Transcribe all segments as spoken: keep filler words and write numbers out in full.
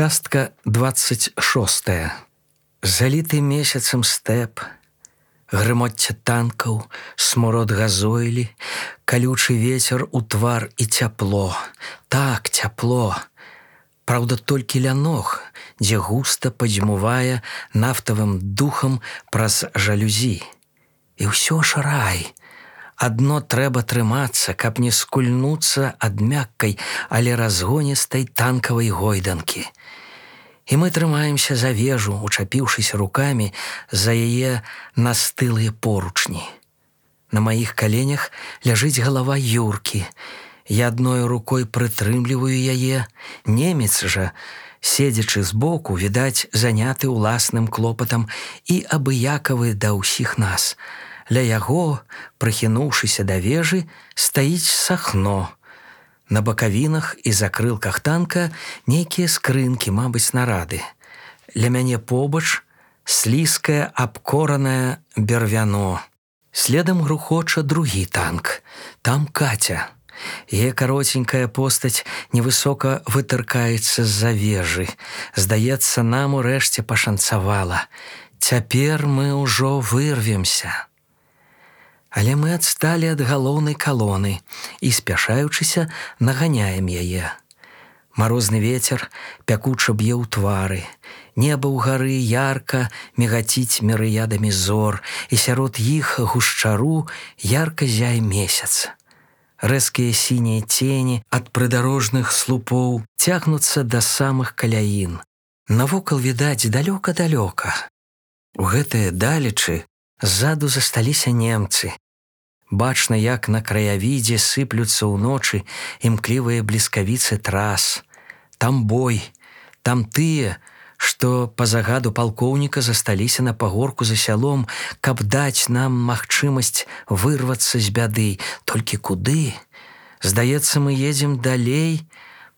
Частка двадцать шостая. Заліты месяцам стэп, грымотця танкаў, смурод газойлі, калючы вецер у твар і цяпло. Так, цяпло. Праўда, толькі ля ног, дзе густа падзьмувае нафтавым духам праз жалюзі. І ўсё ж рай. Адно трэба трымацца, каб не скульнуцца ад мяккай, але разгоністай танкавай гойданкі. І мы трымаемся за вежу, учапіўшыся рукамі за яе настылыя поручні. На маіх каленях ляжыць галава Юркі. Я адной рукой прытрымліваю яе. Немец жа, седзячы збоку, відаць, заняты ўласным клопатам і абыякавы да ўсіх нас. Ля яго, прыхінуўшыся да вежы, стаіць Сахно. На бакавінах і закрылках танка нейкія скрынкі, мабыць, снарады. Ля мяне побач слізкае абкоранае бервяно. Следам грухоча другі танк. Там Катя. Яе кароценькая постаць невысока вытыркаецца з-за вежы. Здаецца, нам урэшце пашанцавала. Цяпер мы ўжо вырвемся. Але мы адсталі ад галоўнай калоны і, спяшаючыся, наганяем яе. Марозны вецер пякуча б'е ў твары. Неба ўгары ярка мігаціць мірыядамі зор, і сярод іх гушчару ярка зяе месяц. Рэзкія сінія цені ад прыдарожных слупоў цягнуцца да самых каляін. Навокал відаць далёка-далёка. У гэтыя далечы ззаду засталіся немцы. Бачна, як на краявідзе сыплюцца ўночы імклівыя бліскавіцы трас. Там бой, там тыя, што па загаду палкоўніка засталіся на пагорку за сялом, каб даць нам магчымасць вырвацца з бяды. Толькі куды? Здаецца, мы едзем далей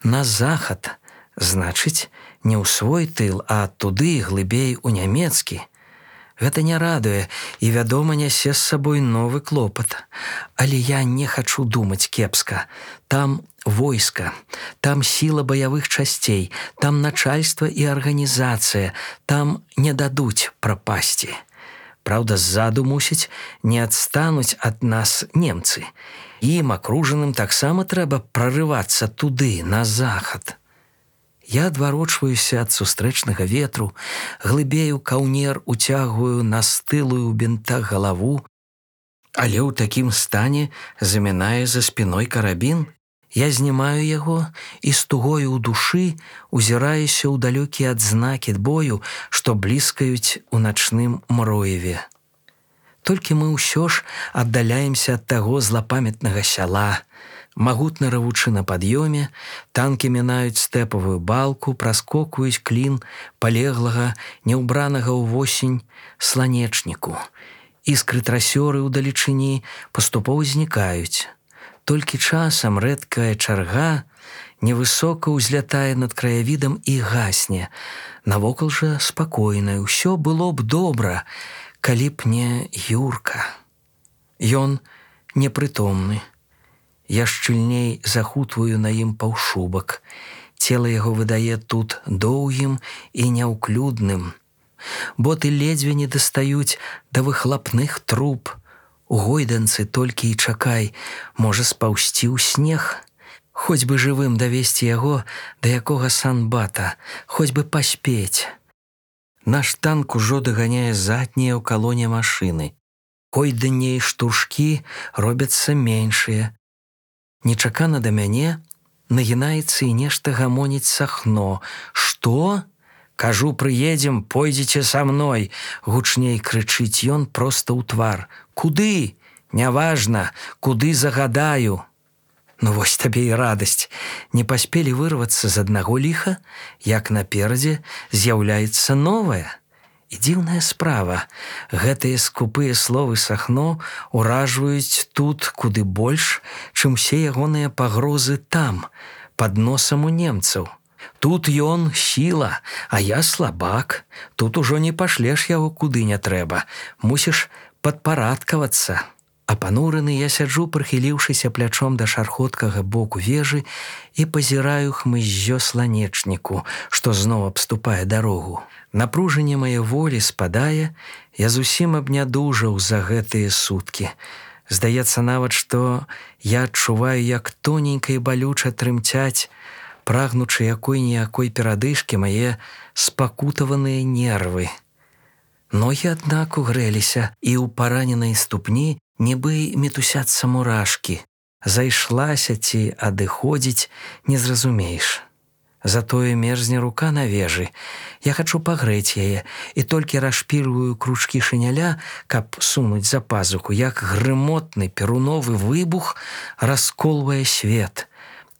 на захад. Значыць, не ў свой тыл, а туды, глыбей у нямецкі. Гэта не радуе і, вядома, нясе з сабой новы клопат. Але я не хачу думаць кепска. Там войска, там сіла баявых часцей, там начальства і арганізацыя, там не дадуць прапасці. Праўда, ззаду, мусіць, не адстануць ад нас немцы. Ім, акружаным, таксама трэба прарывацца туды, на захад. Я адварочваюся ад сустрэчнага ветру, глыбею каўнер, уцягваю на стылую ў бінтах галаву, але ў такім стане замінае за спіной карабін. Я знімаю яго і з тугою ў душы узіраюся ў далёкія адзнакі бою, што бліскаюць у начным мроеве. Толькі мы ўсё ж аддаляемся ад таго злапамятнага сяла. Магутна равучы на пад'ёме, танкі мінаюць стэпавую балку, праскокваюць клін палеглага, няўбранага ўвосень сланечніку. Іскры трасёры ўдалечыні паступова знікаюць. Толькі часам рэдкая чарга невысока ўзлятае над краявідам і гасне. Навокал жа спакойна, ўсё было б добра, калі б не Юрка. Ён непрытомны. Я шчыльней захутваю на ім паўшубак. Цела яго выдае тут доўгім і няўклюдным. Боты ледзьве не дастаюць да выхлапных труб. У гойданцы толькі і чакай, можа спаўсці ў снег. Хоць бы жывым давесці яго да якога санбата, хоць бы паспець. Наш танк ужо даганяе заднія ў калоне машыны. Койданне і штуршкі робяцца меншыя. Нечакана да мяне нагінаецца і нешта гамоніць Сахно. «Што? Кажу, прыедзем, пойдзеце са мной!» Гучней крычыць ён проста ў твар. «Куды? Няважна, куды загадаю!» Ну вось табе і радасць. Не паспелі вырвацца з аднаго ліха, як наперадзе з'яўляецца новае. І дзіўная справа. Гэтыя скупыя словы Сахно ўражваюць тут куды больш, чым усе ягоныя пагрозы там, пад носам у немцаў. Тут ён сіла, а я слабак. Тут ужо не пашлеш яго куды не трэба. Мусіш падпарадкавацца. Апанураны я сяджу, прыхіліўшыся плячом да шархоткага боку вежы і пазіраю хмыззё сланечніку, што зноў абступае дарогу. Напружанне мае волі спадае, я зусім абнядужаў за гэтыя суткі. Здаецца нават, што я адчуваю, як тоненька і балюча трымцяць, прагнучы якой-ніякой перадышкі мае спакутаваныя нервы. Ногі, аднак, угрэліся, і ў параненай ступні нібы мітусяцца мурашкі. Зайшлася ці адыходзіць, не зразумееш. Затое мерзне рука на вежы. Я хачу пагрэць яе і толькі расшпільваю кручкі шыняля, каб сунуць за пазуху, як грымотны перуновы выбух расколвае свет.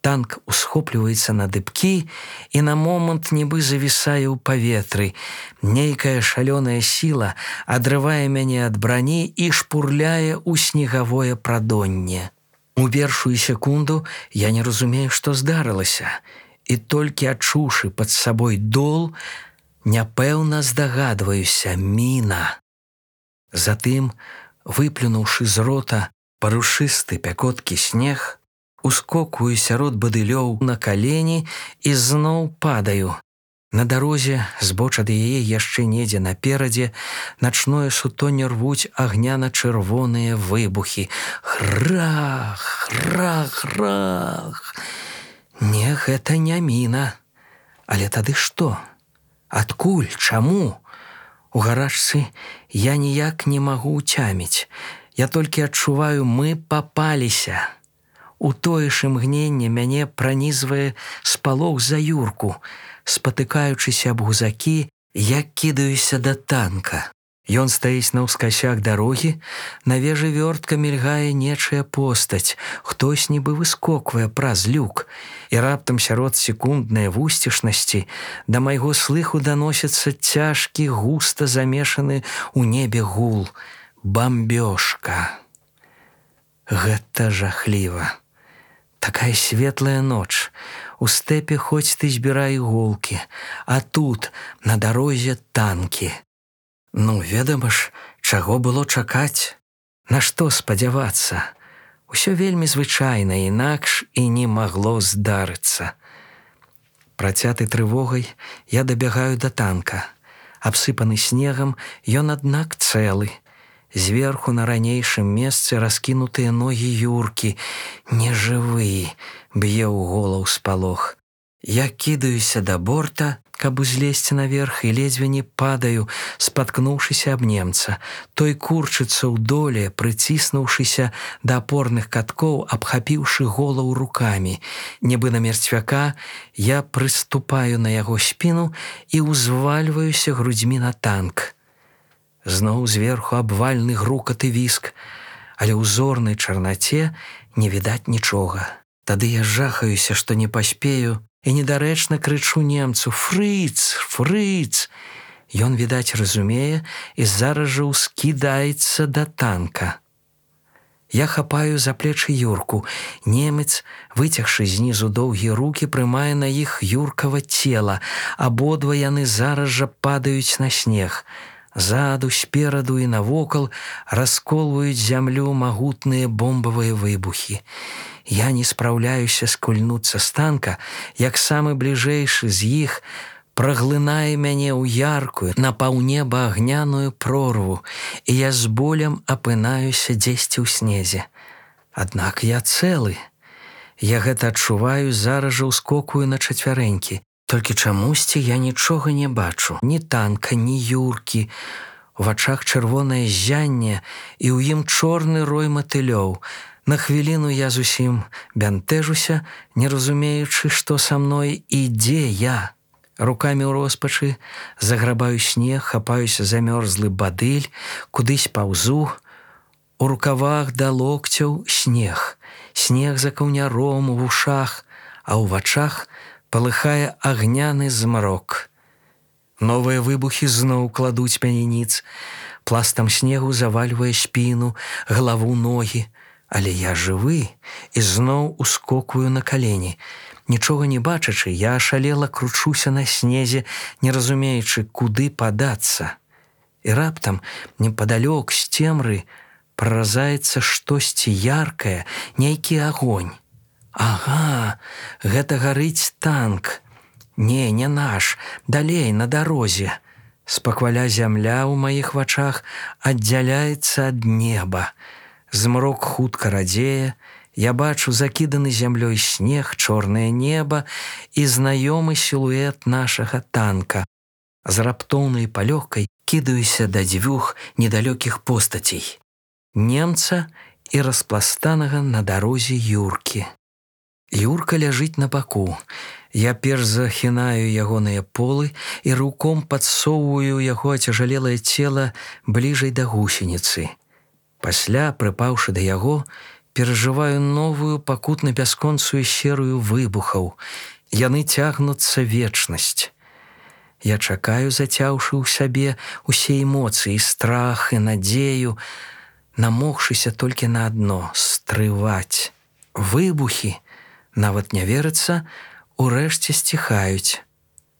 Танк усхопліваецца на дыбкі і на момант нібы завісае ў паветры. Нейкая шалёная сіла адрывае мяне ад брані і шпурляе ў снегавое прадонне. У першую секунду я не разумею, што здарылася, і толькі адчуўшы пад сабой дол, няпэўна здагадваюся: міна. Затым, выплюнуўшы з рота парушысты пякоткі снег, ускокую сярод бадылёў на калені і зноў падаю. На дарозе, збоч ад яе яшчэ недзе наперадзе, начное сутонне рвуць агняна-чырвоныя выбухі. Грах, грах, грах. Не, гэта не міна. Але тады што? Адкуль? Чаму? У гарачцы я ніяк не магу ўцяміць. Я толькі адчуваю, мы папаліся. У тое ж імгненне мяне пранізвае спалох за Юрку. Спатыкаючыся аб гузакі, я кідаюся да танка. Ён стаіць наўскасях дарогі, на вежы вёртка мільгае нечая постаць, хтось нібы выскоквае праз люк, і раптам сярод секунднай вусцішнасці да майго слыху даносіцца цяжкі, густа замешаны ў небе гул. Бамбёжка. Гэта жахліва. Такая светлая ноч. У стэпе хоць ты збірай іголкі, а тут на дарозе танкі. Ну, ведама ж, чаго было чакаць? На што спадзявацца? Усё вельмі звычайна, інакш і не магло здарыцца. Працяты трывогай, я дабягаю да танка. Абсыпаны снегам, ён, аднак, цэлы. Зверху на ранейшым месцы раскінутыя ногі Юркі. Нежывы, б'е ў голаў спалох. Я кідаюся да борта, каб узлезці наверх, і ледзьве не падаю, спаткнуўшыся аб немца. Той курчыцца ў доле, прыціснуўшыся да апорных каткоў, абхапіўшы голову рукамі. Нібы на мерцвяка, я прыступаю на яго спіну і ўзвальваюся грудзьмі на танк. Зноў зверху абвальны грукат і віск, але ў зорнай чарнаце не відаць нічога. Тады я жахаюся, што не паспею, і недарэчна крычу немцу: «Фрыц! Фрыц!» Ён, відаць, разумее і зараз жа ўскідаецца да танка. Я хапаю за плечы Юрку. Немец, выцягшы знізу доўгія рукі, прымае на іх Юркава цела. Абодва яны зараз жа падаюць на снег. Заду, спераду і навокал расколваюць зямлю магутныя бомбавыя выбухі. Я не спраўляюся скульнуцца з танка, як самы бліжэйшы з іх праглынае мяне ў яркую, на паўнеба агняную прорву, і я з болем апынаюся дзесьці ў снезе. Аднак я цэлы. Я гэта адчуваю, зараз жа ўскокую на чацвярэнькі. Толькі чамусьці я нічога не бачу. Ні танка, ні Юркі. У вачах чырвонае ззянне, і ў ім чорны рой матылёў. На хвіліну я зусім бянтэжуся, не разумеючы, што са мной і дзе я. Рукамі ў роспачы заграбаю снег, хапаюся за мёрзлы бадыль, кудысь паўзу. У рукавах да локцяў снег. Снег за каўняром у вушах, а ў вачах палыхае агняны змрок. Новыя выбухі зноў кладуць мяне ніц. Пластам снегу завальвае спіну, галаву, ногі. Але я жывы і зноў ускокую на калені. Нічога не бачачы, я ашалела кручуся на снезе, не разумеючы, куды падацца. І раптам, непадалёк з цемры, праразаецца штосьці яркае, нейкі агонь. Ага, гэта гарыць танк. Не, не наш, далей, на дарозе. Спакваля зямля ў маіх вачах аддзяляецца ад неба. Змрок хутка радзее, я бачу закіданы зямлёй снег, чорнае неба і знаёмы сілуэт нашага танка. З раптоўнай палёгкай кідаюся да дзвюх недалёкіх постацей. Немца і распластанага на дарозе Юркі. Юрка ляжыць на баку. Я перш захінаю ягоныя полы і руком падсоўваю яго ацяжалелае цела бліжэй да гусеніцы. Пасля, прыпаўшы да яго, перажываю новую пакутна-бясконцую серыю выбухаў. Яны цягнуцца вечнасць. Я чакаю, зацяўшы ў сабе усе эмоцыі, страх і надзею, намогшыся толькі на адно – стрываць. Выбухі, нават не верыцца, урэшце сціхаюць.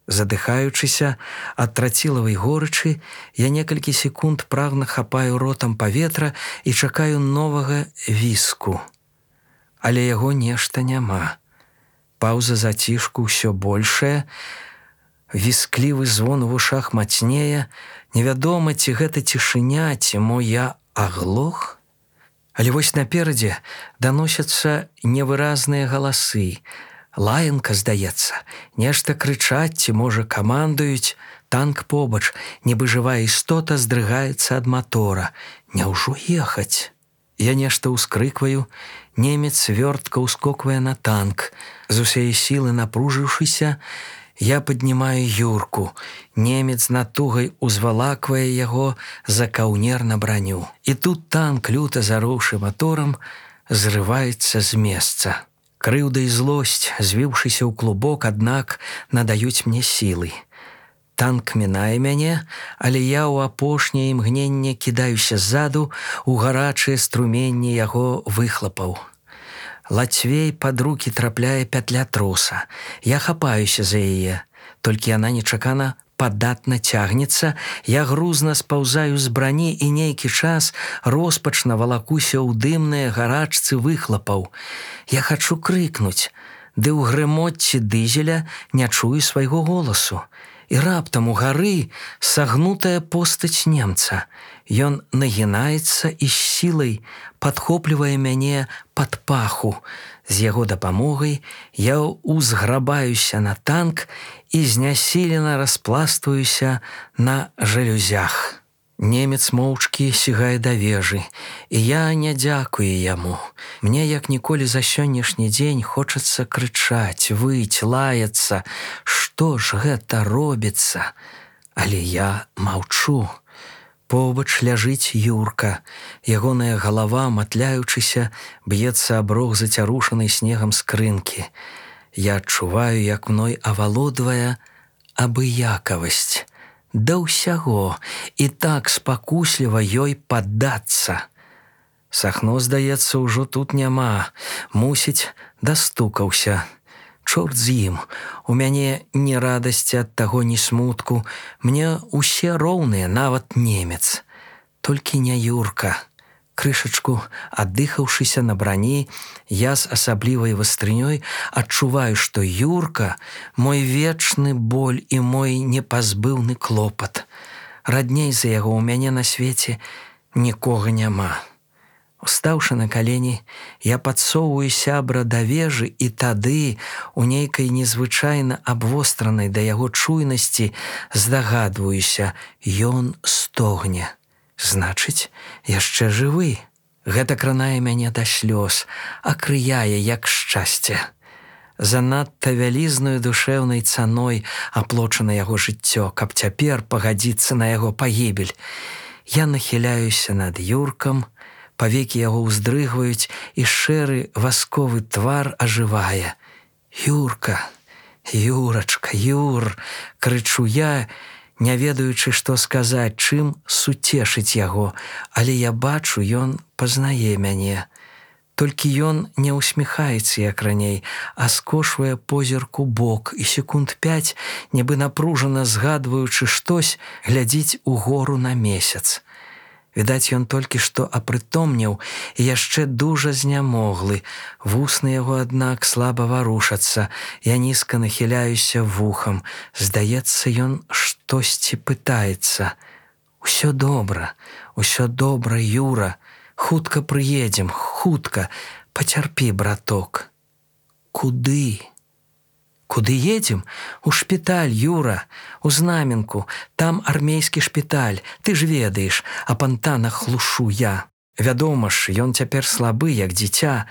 Задыхаючыся ад трацілавай горычы, я некалькі секунд прагна хапаю ротам паветра і чакаю новага віску. Але яго нешта няма. Паўза зацішку ўсё большая, вісклівы звон у вушах мацнее, невядома, ці гэта цішыня, ці мо я аглох? Але вось наперадзе даносяцца невыразныя галасы. Лаянка, здаецца, нешта крычаць, ці, можа, камандуюць. Танк побач, нібы жывая істота, здрыгаецца ад матора. Няўжо ехаць? Я нешта ўскрыкваю, немец вёртка ўскоквае на танк. З усяе сілы напружыўшыся, я паднімаю Юрку. Немец натугай узвалаквае яго за каўнер на браню. І тут танк, люта зароўшы маторам, зрываецца з месца. Крыўда і злосць, звіўшыся ў клубок, аднак надаюць мне сілы. Танк мінае мяне, але я ў апошняе імгненне кідаюся ззаду ў гарачыя струменні яго выхлапаў. Лацвей пад рукі трапляе пятля троса. Я хапаюся за яе, толькі яна нечакана падатна цягнецца, я грузна спаўзаю з брані і нейкі час роспачна валакуся ў дымныя гарачцы выхлапаў. Я хачу крыкнуць, ды ў грымотці дызеля не чую свайго голасу. І раптам у гары сагнутая постаць немца. Ён нагінаецца і з сілай падхоплівае мяне пад паху. З яго дапамогай я узграбаюся на танк і знясілена распластваюся на жалюзях. Немец моўчкі сігае да вежы, і я не дзякую яму. Мне, як ніколі за сённяшні дзень, хочацца крычаць, выць, лаяцца. Што ж гэта робіцца? Але я маўчу. Побач ляжыць Юрка. Ягоная галава, матляючыся, б'ецца аб рог зацярушанай снегам скрынкі. Я адчуваю, як мной авалодвае абыякавасць. Да ўсяго, і так спакусліва ёй паддацца. Сахно, здаецца, ужо тут няма. Мусіць, дастукаўся. Чорт з ім. У мяне ні радасці ад таго, ні смутку. Мне усе роўныя, нават немец. Толькі не Юрка. Крышачку аддыхаўшыся на брані, я з асаблівай вастрынёй адчуваю, што Юрка – мой вечны боль і мой непазбыўны клопат. Радней за яго ў мяне на свеце нікога няма. Устаўшы на калені, я падсоўваю сябра да вежы, і тады, у нейкай незвычайна абвостранай да яго чуйнасці, здагадваюся, ён стогне. Значыць, яшчэ жывы. Гэта кранае мяне да слёз, акрыяе, як шчасце. Занадта вялізнаю душэўнай цаной аплочана яго жыццё, каб цяпер пагадзіцца на яго пагібель. Я нахіляюся над Юркам, павекі яго ўздрыгваюць, і шэры васковы твар ажывае. Юрка, Юрачка, Юр, крычу я, не ведаючы, што сказаць, чым суцешыць яго, але я бачу, ён пазнае мяне. Толькі ён не ўсміхаецца, як раней, а скошвае позірк у бок і секунд пяць, нібы напружана згадваючы штось, глядзіць угору на месяц. Відаць, ён толькі што апрытомнеў і яшчэ дужа знямоглы. Вусны яго, аднак, слаба варушацца. Я нізка нахіляюся вухам. Здаецца, ён штосьці пытаецца. «Усё добра, усё добра, Юра. Хутка прыедзем, хутка. Пацярпі, браток». «Куды?» «Куды едзем? У шпіталь, Юра, у Знаменку. Там армейскі шпіталь, ты ж ведаеш, а пантанах глушу я. Вядома ж, ён цяпер слабы, як дзіця,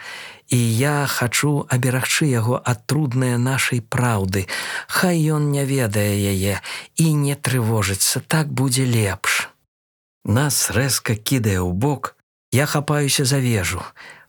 і я хачу аберагчы яго ад труднае нашай праўды. Хай ён не ведае яе і не трывожыцца, так будзе лепш». Нас рэзка кідае ў бок, я хапаюся за вежу.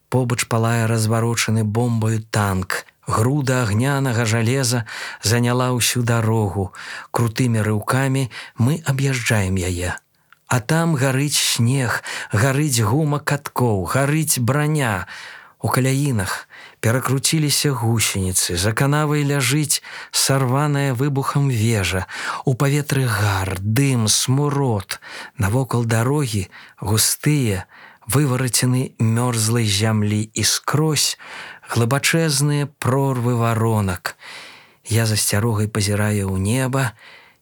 Побач палае разварочаны бомбаю танк. Груда агнянага жалеза заняла ўсю дарогу. Крутымі рыўкамі мы аб'язджаем яе. А там гарыць снег, гарыць гума каткоў, гарыць браня. У каляінах перакруціліся гусеніцы, за канавай ляжыць сарваная выбухам вежа. У паветры гар, дым, смурод. Навокал дарогі густыя, выварацены мёрзлай зямлі і скрозь глыбачэзныя прорвы варонак. Я з асцярогай пазіраю ў неба,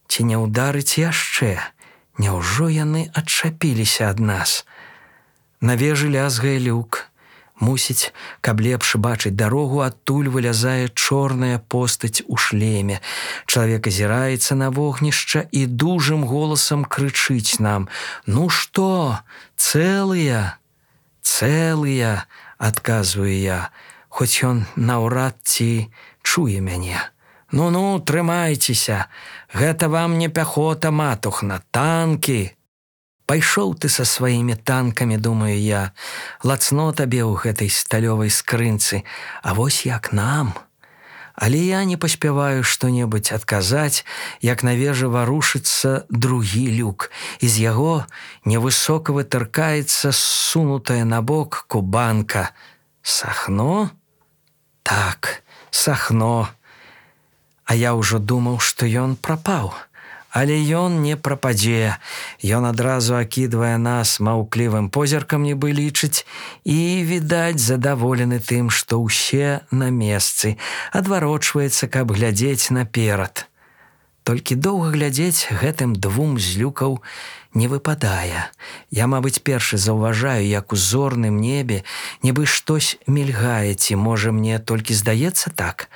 ці не ўдарыць яшчэ? Няўжо яны адчапіліся ад нас? На вежы лязгае люк. Мусіць, каб лепш бачыць дарогу, адтуль вылязае чорная постаць у шлеме. Чалавек азіраецца на вогнішча і дужым голасам крычыць нам: «Ну што, цэлыя?» «Цэлыя», адказваю я, хоць ён наўрад ці чуе мяне. «Ну-ну, трымайцеся, гэта вам не пяхота, матухна, танкі». «Пайшоў ты са сваімі танкамі, думаю я, лацно табе ў гэтай сталёвай скрынцы, а вось як нам». Але я не паспяваю што-небудзь адказаць, як на вежы варушыцца другі люк. І з яго невысока вытыркаецца ссунутая на бок кубанка. Сахно? Так, Сахно. А я ўжо думаў, што ён прапаў. Але ён не прападзе. Ён адразу акідвае нас маўклівым позіркам, нібы лічыць, і, відаць, задаволены тым, што ўсе на месцы, адварочваецца, каб глядзець наперад. Толькі доўга глядзець гэтым двум злюкаў не выпадае. Я, мабыць, першы заўважаю, як у зорным небе нібы штось мільгае, ці, можа, мне толькі здаецца так?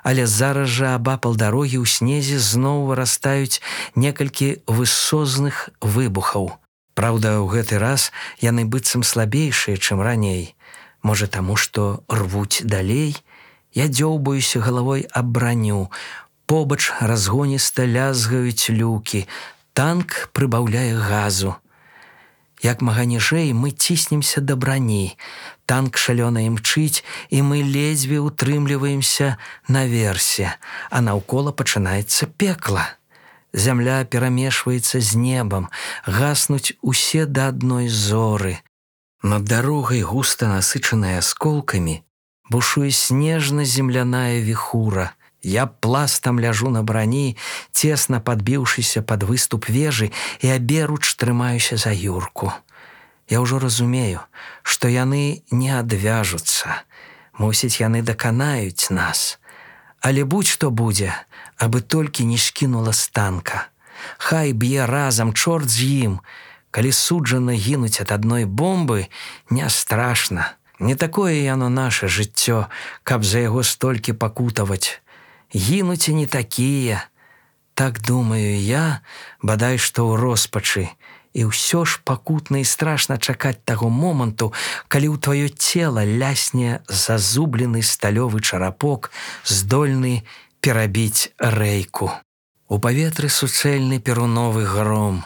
Але зараз жа абапал дарогі ў снезе зноў вырастаюць некалькі высозных выбухаў. Праўда, ў гэты раз яны быццам слабейшыя, чым раней. Можа, таму, што рвуць далей? Я дзёўбаюся галавой аб браню. Побач разгоніста лязгаюць люкі. Танк прыбаўляе газу. Як мага ніжэй мы ціснемся да брані. Танк шалёна імчыць, і мы ледзьве утрымліваемся наверсе, а наўкола пачынаецца пекла. Зямля перамешваецца з небам, гаснуць усе да адной зоры. Над дарогай, густа насычаная асколкамі, бушуе снежна-земляная віхура. Я пластам ляжу на брані, цесна падбіўшыся пад выступ вежы, і аберуч трымаюся за Юрку. Я ўжо разумею, што яны не адвяжуцца. Мусіць, яны даканаюць нас. Але будь-што будзе, абы толькі не скінула з танка. Хай б'е разам, чорт з ім. Калі суджана гінуць ад адной бомбы, не страшна. Не такое яно наше жыццё, каб за яго столькі пакутаваць. Гінуць і не такія. Так думаю я, бадай што ў роспачы. І ўсё ж пакутна і страшна чакаць таго моманту, калі ў тваё цела лясне зазублены сталёвы чарапок, здольны перабіць рэйку. У паветры суцэльны перуновы гром,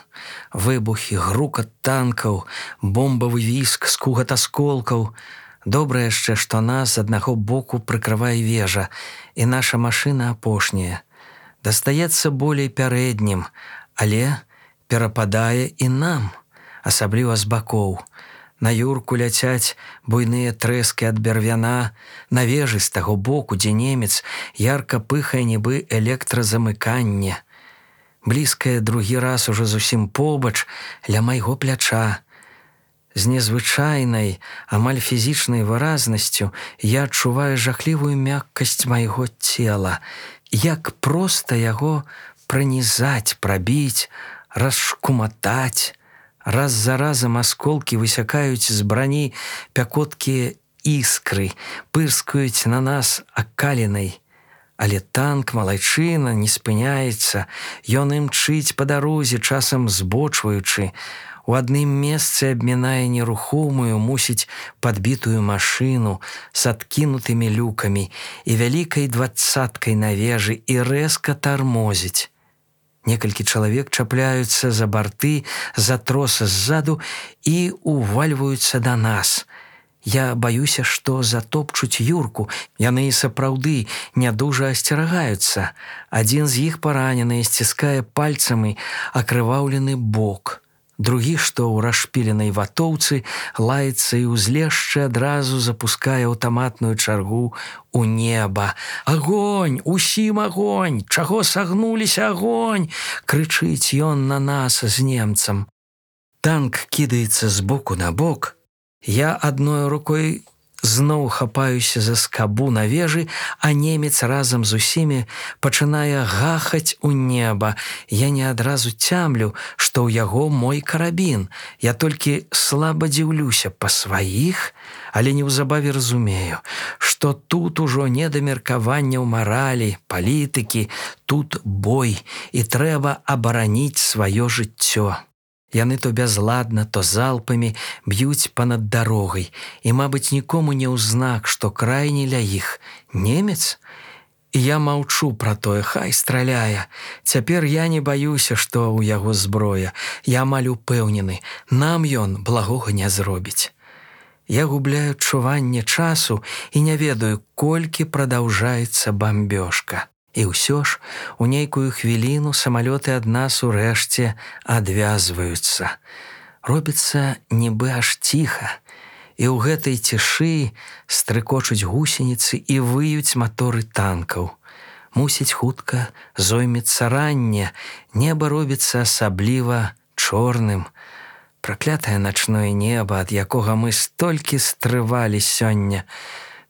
выбухі, грукат танкаў, бомбавы віск, скугат асколкаў. Добра яшчэ, што нас з аднаго боку прыкрывае вежа, і наша машына апошняя. Дастаецца болей пярэднім, але перападае і нам, асабліва з бакоў. На Юрку ляцяць буйныя трэскі ад бервяна, на вежы з таго боку, дзе немец, ярка пыхае нібы электразамыканне. Блізкае другі раз ужо зусім побач, ля майго пляча. З незвычайнай, амаль фізічнай выразнасцю я адчуваю жахлівую мяккасць майго цела, як проста яго пранізаць, прабіць, расшкуматаць. Раз за разам асколкі высякаюць з брані пякоткія іскры, пырскаюць на нас акалінай. Але танк, малайчына, не спыняецца, ён імчыць па дарозе, часам збочваючы. У адным месцы абмінае нерухомую, мусіць, падбітую машыну з адкінутымі люкамі і вялікай дваццаткай на вежы і рэзка тармозіць. Некалькі чалавек чапляюцца за барты, за тросы ззаду і увальваюцца да нас. Я баюся, што затопчуць Юрку. Яны і сапраўды нядужа асцерагаюцца. Адзін з іх паранены сціскае пальцамі акрываўлены бок. Другі, што ў расшпіленай ватоўцы, лаецца і ўзлезшчы адразу запускае аўтаматную чаргу ў неба. «Агонь! Усім агонь! Чаго сагнуліся, агонь!» — крычыць ён на нас з немцам. Танк кідаецца з боку на бок. Я адной рукой зноў хапаюся за скабу на вежы, а немец разам з усімі пачынае гахаць у неба. Я не адразу цямлю, што ў яго мой карабін. Я толькі слаба дзіўлюся па сваіх, але неўзабаве разумею, што тут ужо не да меркаванняў маралі, палітыкі, тут бой, і трэба абараніць сваё жыццё. Яны то бязладна, то залпамі б'юць па-над дарогай, і, мабыць, нікому не ўзнак, што крайні ля іх немец. І я маўчу пра тое, хай страляе. Цяпер я не баюся, што ў яго зброя. Я амаль упэўнены, нам ён благога не зробіць. Я губляю адчуванне часу і не ведаю, колькі прадаўжаецца бамбёжка. І ўсё ж у нейкую хвіліну самалёты ад нас урэшце адвязваюцца. Робіцца нібы аж ціха, і ў гэтай цішы стрыкочуць гусеніцы і выюць маторы танкаў. Мусіць, хутка зоймецца ранне, неба робіцца асабліва чорным. Праклятае начное неба, ад якога мы столькі стрывалі сёння.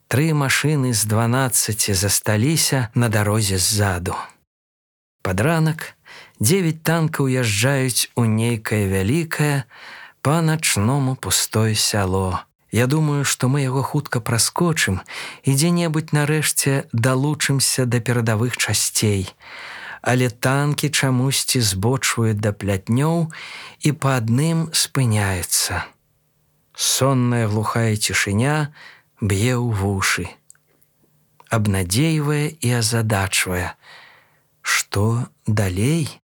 Тры машыны з дванаццаці засталіся на дарозе ззаду. Пад ранак дзевяць танкаў уязджаюць у нейкае вялікае па-начному пустое сяло. Я думаю, што мы яго хутка праскочым і дзе-небудзь нарэшце далучымся да перадавых часцей. Але танкі чамусьці збочваюць да плятнёў і па адным спыняецца. Сонная глухая цішыня б'е ў вушы, абнадзейвае і азадачвае. Што далей?